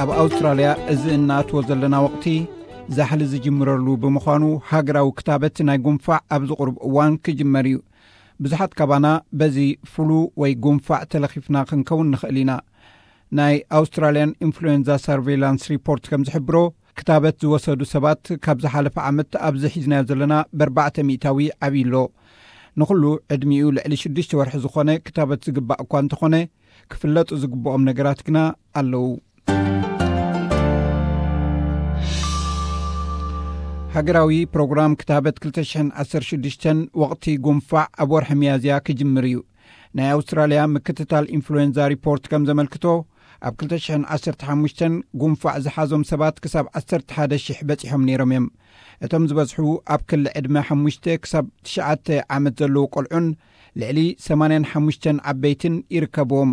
ኣብ ኣውስትራልያ እዚ እናኣትዎ ዘለና ወቕቲ ዛሕሊ ዝጅምረሉ ብምዃኑ፣ ሃገራዊ ክታበት ናይ ጉንፋዕ ኣብዚ ቁሩብ እዋን ክጅመር እዩ። ብዙሓት ካባና በዚ ፍሉ ወይ ጉንፋዕ ተለኺፍና ክንከውን ንኽእል ኢና። ናይ ኣውስትራልያን ኢንፍሉዌንዛ ሰርቬይላንስ ሪፖርት ከም ዝሕብሮ፣ ክታበት ዝወሰዱ ሰባት ካብ ዝሓለፈ ዓመት ኣብዚ ሒዝናዮ ዘለና ብኣርባዕተ ሚእታዊ ዓብዩ ኣሎ። ንኹሉ ዕድሚኡ ልዕሊ ሽዱሽተ ወርሒ ዝኾነ ክታበት ዝግባእ እኳ እንተኾነ፣ ክፍለጡ ዝግብኦም ነገራት ግና ኣለዉ። ሃገራዊ ፕሮግራም ክታበት ክልተ ሽሕን ዓሰርተ ሽዱሽተን ወቕቲ ጉንፋዕ ኣብ ወርሒ ሚያዝያ ክጅምር እዩ። ናይ ኣውስትራልያ ምክትታል ኢንፍሉዌንዛ ሪፖርት ከም ዘመልክቶ፣ ኣብ ክልተ ሽሕን ዓሰርተ ሓሙሽተን ጉንፋዕ ዝሓዞም ሰባት ክሳብ ዓሰርተ ሓደ ሽሕ በጺሖም ነይሮም እዮም። እቶም ዝበዝሑ ኣብ ክሊ ዕድመ ሓሙሽተ ክሳብ ትሽዓተ ዓመት ዘለዉ ቆልዑን ልዕሊ ሰማንያን ሓሙሽተን ዓበይትን ይርከብዎም።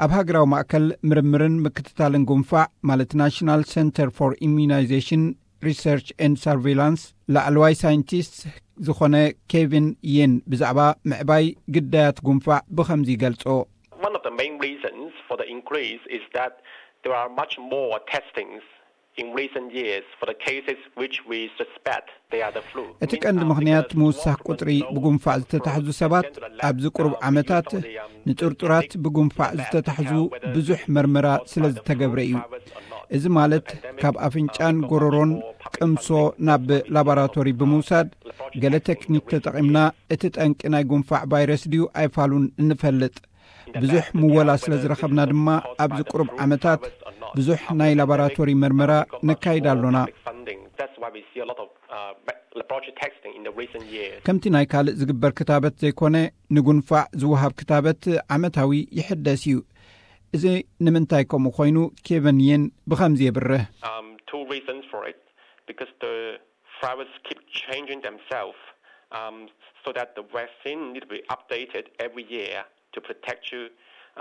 ኣብ ሃገራዊ ማእከል ምርምርን ምክትታልን ጉንፋዕ፣ ማለት ናሽናል ሰንተር ፎር ኢሚዩናይዜሽን ሪሰርች ኤንድ ሰርቬይላንስ፣ ላዕለዋይ ሳይንቲስት ዝኾነ ኬቪን የን ብዛዕባ ምዕባይ ግዳያት ጉንፋዕ ብኸምዚ ይገልጾ። One of the main reasons for the increase is that there are much more testings in recent years for the cases which we suspect they are the flu. እቲ ቀንዲ ምኽንያት ምውሳኽ ቁጽሪ ብጉንፋዕ ዝተታሕዙ ሰባት፣ ኣብዚ ቁሩብ ዓመታት ንጥርጡራት ብጉንፋዕ ዝተታሕዙ ብዙሕ መርመራ ስለ ዝተገብረ እዩ። እዚ ማለት፣ ካብ ኣፍንጫን ጎረሮን ቅምሶ ናብ ላቦራቶሪ ብምውሳድ፣ ገለ ቴክኒክ ተጠቒምና እቲ ጠንቂ ናይ ጉንፋዕ ቫይረስ ድዩ ኣይፋሉን እንፈልጥ። ብዙሕ ምወላ ስለ ዝረኸብና ድማ፣ ኣብዚ ቁሩብ ዓመታት ብዙሕ ናይ ላቦራቶሪ መርመራ ነካይድ ኣሎና። That's why we see a lot of uh, laboratory testing in the recent years. ከምቲ ናይ ካልእ ዝግበር ክታበት ዘይኮነ፣ ንጉንፋዕ ዝወሃብ ክታበት ዓመታዊ ይሕደስ እዩ። እዚ ንምንታይ ከምኡ ኮይኑ፣ ኬቨን የን ብኸምዚ የብርህ። Um, two reasons for it. Because the virus keep changing themselves, um, so that the vaccine need to be updated every year to protect you,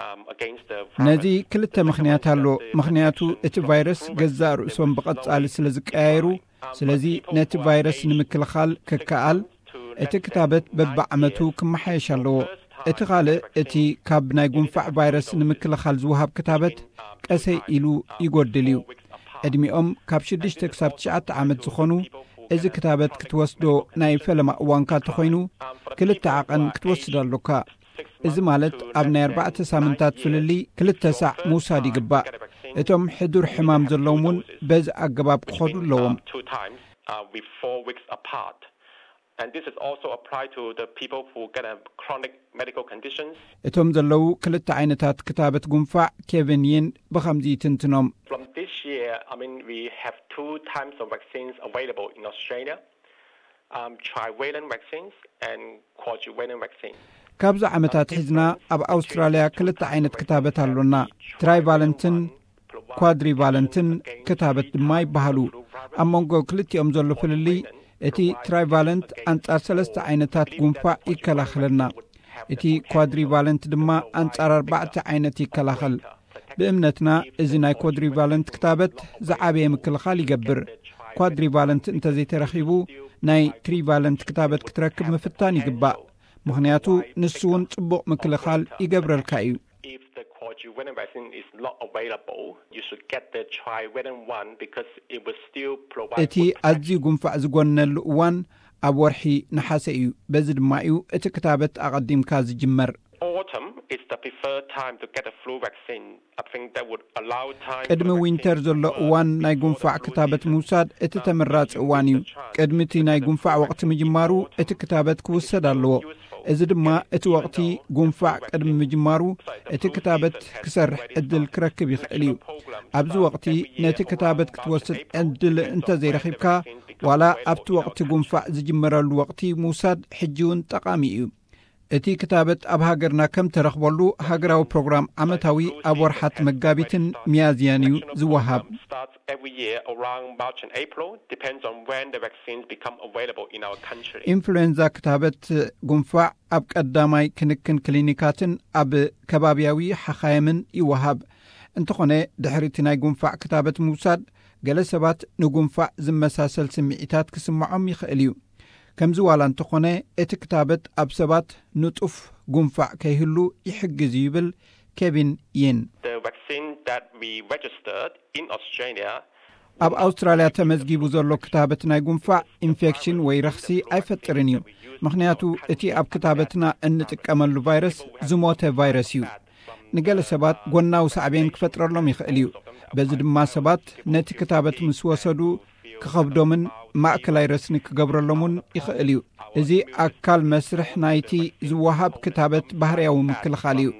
um, against the virus. ነዚ ክልተ ምኽንያት ኣሎ። ምኽንያቱ፣ እቲ ቫይረስ ገዛእ ርእሶም ብቐጻሊ ስለ ዝቀያየሩ፣ ስለዚ ነቲ ቫይረስ ንምክልኻል ክከኣል፣ እቲ ክታበት በብዓመቱ ክመሓየሽ ኣለዎ። እቲ ካልእ፣ እቲ ካብ ናይ ጉንፋዕ ቫይረስ ንምክልኻል ዝወሃብ ክታበት ቀሰይ ኢሉ ይጎድል እዩ። ዕድሚኦም ካብ ሽዱሽተ ክሳብ ትሽዓተ ዓመት ዝኾኑ፣ እዚ ክታበት ክትወስዶ ናይ ፈለማ እዋንካ እንተኾይኑ፣ ክልተ ዓቐን ክትወስድ ኣሎካ። እዚ ማለት፣ ኣብ ናይ ኣርባዕተ ሳምንታት ፍልልይ ክልተ ሳዕ ምውሳድ ይግባእ። እቶም ሕዱር ሕማም ዘለዎም እውን በዚ ኣገባብ ክኸዱ ኣለዎም። Two times, uh, with four weeks apart. And this is also apply to the people who get a chronic medical conditions. እቶም ዘለዉ ክልተ ዓይነታት ክታበት ጉንፋዕ፣ ኬቨን የን ብኸምዚ ይትንትኖም። From this year, I mean, we have two types of vaccines available in Australia, um, trivalent vaccines and quadrivalent vaccines. ካብዚ ዓመታት ሒዝና ኣብ ኣውስትራልያ ክልተ ዓይነት ክታበት ኣሎና። ትራይቫለንትን ኳድሪቫለንትን ክታበት ድማ ይበሃሉ። ኣብ መንጎ ክልቲኦም ዘሎ ፍልልይ፣ እቲ ትራይቫለንት ኣንጻር ሰለስተ ዓይነታት ጉንፋዕ ይከላኸለና። እቲ ኳድሪቫለንት ድማ ኣንጻር ኣርባዕተ ዓይነት ይከላኸል። ብእምነትና፣ እዚ ናይ ኳድሪቫለንት ክታበት ዝዓበየ ምክልኻል ይገብር። ኳድሪቫለንት እንተዘይተረኺቡ፣ ናይ ትሪቫለንት ክታበት ክትረክብ ምፍታን ይግባእ። ምኽንያቱ፣ ንሱ እውን ጽቡቕ ምክልኻል ይገብረልካ እዩ። If the quadrivalent vaccine is not available, you should get the trivalent one because it will still provide እቲ ኣዝዩ ጉንፋዕ ዝጎነሉ እዋን ኣብ ወርሒ ነሓሰ እዩ። በዚ ድማ እዩ እቲ ክታበት ኣቐዲምካ ዝጅመር። Autumn is the preferred time to get a flu vaccine. I think that would allow time ቅድሚ ዊንተር ዘሎ እዋን ናይ ጉንፋዕ ክታበት ምውሳድ እቲ ተመራጺ እዋን እዩ። ቅድሚ እቲ ናይ ጉንፋዕ ወቕቲ ምጅማሩ እቲ ክታበት ክውሰድ ኣለዎ። እዚ ድማ እቲ ወቕቲ ጉንፋዕ ቅድሚ ምጅማሩ እቲ ክታበት ክሰርሕ ዕድል ክረክብ ይኽእል እዩ። ኣብዚ ወቕቲ ነቲ ክታበት ክትወስድ ዕድል እንተዘይረኺብካ፣ ዋላ ኣብቲ ወቕቲ ጉንፋዕ ዝጅመረሉ ወቕቲ ምውሳድ ሕጂ እውን ጠቓሚ እዩ። እቲ ክታበት ኣብ ሃገርና ከም ተረኽበሉ፣ ሃገራዊ ፕሮግራም ዓመታዊ ኣብ ወርሓት መጋቢትን ሚያዝያን እዩ ዝወሃብ። Starts every year around March and April, depends on when the vaccines become available in our country. ኢንፍሉዌንዛ ክታበት ጉንፋዕ ኣብ ቀዳማይ ክንክን ክሊኒካትን ኣብ ከባብያዊ ሓኻየምን ይወሃብ። እንተኾነ፣ ድሕሪ እቲ ናይ ጉንፋዕ ክታበት ምውሳድ፣ ገለ ሰባት ንጉንፋዕ ዝመሳሰል ስምዒታት ክስምዖም ይኽእል እዩ። ከምዚ ዋላ እንተኾነ፣ እቲ ክታበት ኣብ ሰባት ንጡፍ ጉንፋዕ ከይህሉ ይሕግዝ እዩ ይብል ኬቪን ይን። The vaccine that we registered in Australia ኣብ ኣውስትራልያ ተመዝጊቡ ዘሎ ክታበት ናይ ጉንፋዕ ኢንፌክሽን ወይ ረኽሲ ኣይፈጥርን እዩ። ምኽንያቱ እቲ ኣብ ክታበትና እንጥቀመሉ ቫይረስ ዝሞተ ቫይረስ እዩ። ንገለ ሰባት ጎናዊ ሳዕቤን ክፈጥረሎም ይኽእል እዩ። በዚ ድማ ሰባት ነቲ ክታበት ምስ ወሰዱ ክኸብዶምን ማእከላይ ረስኒ ክገብረሎምን ይኽእል እዩ። እዚ ኣካል መስርሕ ናይቲ ዝወሃብ ክታበት ባህርያዊ ምክልኻል እዩ።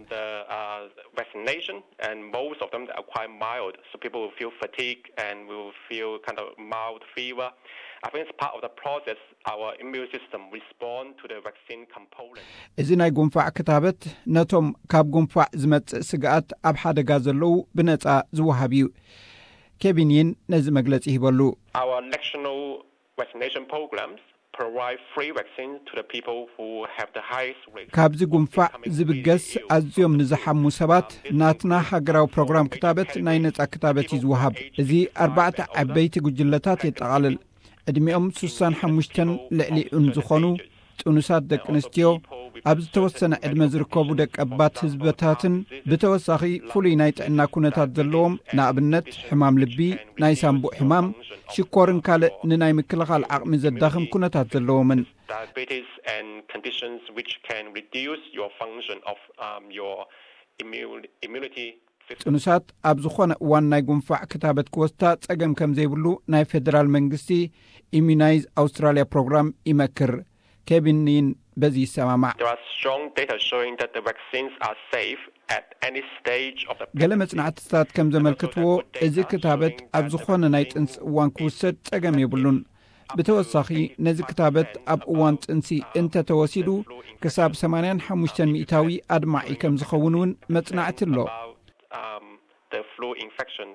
Vaccination, and most of them are quite mild. So people will feel fatigue and will feel kind of mild fever. I think it's part of the process. Our immune system respond to the vaccine component. እዚ ናይ ጉንፋዕ ክታበት ነቶም ካብ ጉንፋዕ ዝመጽእ ስግኣት ኣብ ሓደጋ ዘለዉ ብነጻ ዝወሃብ እዩ። ኬቪን ይን ነዚ መግለጺ ሂበሉ። Our national vaccination programs provide free vaccines to the people who have the highest risk. ካብዚ ጉንፋዕ ዝብገስ ኣዝዮም ንዝሓሙ ሰባት ናትና ሃገራዊ ፕሮግራም ክታበት ናይ ነጻ ክታበት እዩ ዝወሃብ። እዚ ኣርባዕተ ዓበይቲ ጉጅለታት የጠቓልል። ዕድሚኦም ሱሳን ሓሙሽተን ልዕሊኡን ዝኾኑ ጥኑሳት ደቂ ኣንስትዮ፣ ኣብ ዝተወሰነ ዕድመ ዝርከቡ ደቀባት ህዝብታትን ብተወሳኺ ፍሉይ ናይ ጥዕና ኩነታት ዘለዎም፣ ንኣብነት ሕማም ልቢ፣ ናይ ሳንቡእ ሕማም፣ ሽኮርን ካልእ ንናይ ምክልኻል ዓቕሚ ዘዳኽም ኩነታት ዘለዎምን። Diabetes and conditions which can reduce your function of um, your immune, immunity system. ጥኑሳት ኣብ ዝኾነ እዋን ናይ ጉንፋዕ ክታበት ክወስዳ ጸገም ከም ዘይብሉ ናይ ፌደራል መንግስቲ ኢሚናይዝ ኣውስትራልያ ፕሮግራም ይመክር። ኬቪን ኒን በዚ ይሰማማዕ። There are strong data showing that the vaccines are safe at any stage of the ገለ መጽናዕትታት ከም ዘመልክትዎ፣ እዚ ክታበት ኣብ ዝኾነ ናይ ጥንሲ እዋን ክውሰድ ጸገም የብሉን። ብተወሳኺ፣ ነዚ ክታበት ኣብ እዋን ጥንሲ እንተተወሲዱ፣ ክሳብ ሰማንያን ሓሙሽተን ሚእታዊ ኣድማዒ ከም ዝኸውን እውን መጽናዕቲ ኣሎ። um, the flu infection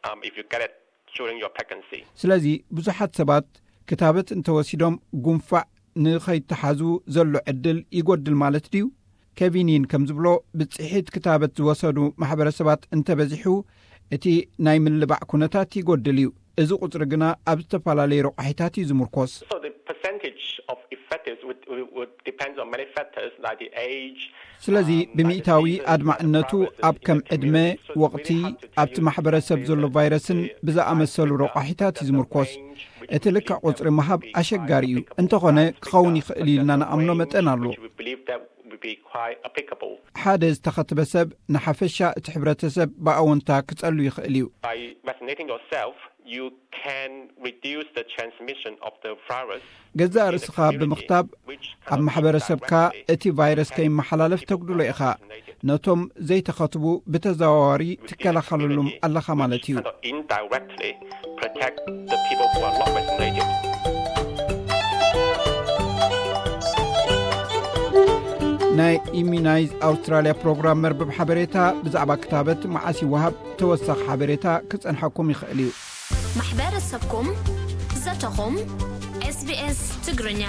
um, if you get it during your pregnancy. ስለዚ ብዙሓት ሰባት ክታበት እንተወሲዶም ጉንፋዕ ንኸይተሓዙ ዘሎ ዕድል ይጎድል ማለት ድዩ? ኬቪኒን ከም ዝብሎ፣ ብጽሒት ክታበት ዝወሰዱ ማሕበረሰባት እንተበዚሑ፣ እቲ ናይ ምልባዕ ኩነታት ይጎድል እዩ። እዚ ቁጽሪ ግና ኣብ ዝተፈላለዩ ረቋሒታት እዩ ዝምርኮስ። So the percentage of effectives would, would, would depend on many factors like the age. ስለዚ ብሚእታዊ ኣድማዕነቱ ኣብ ከም ዕድመ፣ ወቕቲ፣ ኣብቲ ማሕበረሰብ ዘሎ ቫይረስን ብዝኣመሰሉ ረቋሒታት እዩ ዝምርኮስ። እቲ ልክዕ ቁጽሪ ምሃብ ኣሸጋሪ እዩ። እንተኾነ ክኸውን ይኽእል ኢልና ንኣምኖ መጠን ኣሎ። We believe that would be quite applicable. ሓደ ዝተኸትበ ሰብ ንሓፈሻ እቲ ሕብረተሰብ ብኣወንታ ክጸሉ ይኽእል እዩ። By vaccinating yourself, you can reduce the transmission of the virus. ገዛእ ርእስኻ ብምኽታብ ኣብ ማሕበረሰብካ እቲ ቫይረስ ከይመሓላለፍ ተጉድሎ ኢኻ። ነቶም ዘይተኸትቡ ብተዘዋዋሪ ትከላኸለሎም ኣለኻ ማለት እዩ። Kind of indirectly protect the people who are not vaccinated. ናይ ኢሚናይዝ ኣውስትራልያ ፕሮግራም መርበብ ሓበሬታ ብዛዕባ ክታበት መዓስ ይወሃብ ተወሳኺ ሓበሬታ ክጸንሐኩም ይኽእል እዩ። ማሕበረሰብኩም፣ ዘተኹም፣ SBS ትግርኛ።